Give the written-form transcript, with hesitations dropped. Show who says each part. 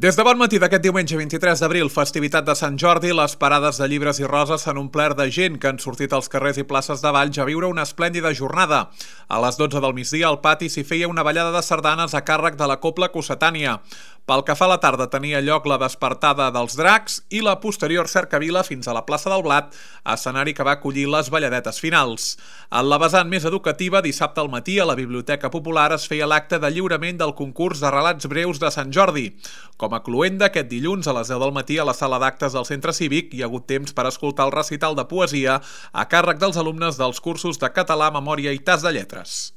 Speaker 1: Des de bon matí d'aquest diumenge 23 d'abril, festivitat de Sant Jordi, les parades de llibres i roses s'han omplert de gent que han sortit als carrers i places de Valls a viure una esplèndida jornada. A les 12 del migdia al pati s'hi feia una ballada de sardanes a càrrec de la Cobla Cossetània. Pel que fa a la tarda tenia lloc la despertada dels dracs i la posterior cercavila fins a la plaça del Blat, escenari que va acollir les balladetes finals. En la vessant més educativa, dissabte al matí a la Biblioteca Popular es feia l'acte de lliurament del concurs de relats breus de Sant Jordi. Com a cloenda, aquest dilluns a les 10 del matí a la sala d'actes del Centre Cívic hi ha hagut temps per escoltar el recital de poesia a càrrec dels alumnes dels cursos de català, memòria i tas de lletres.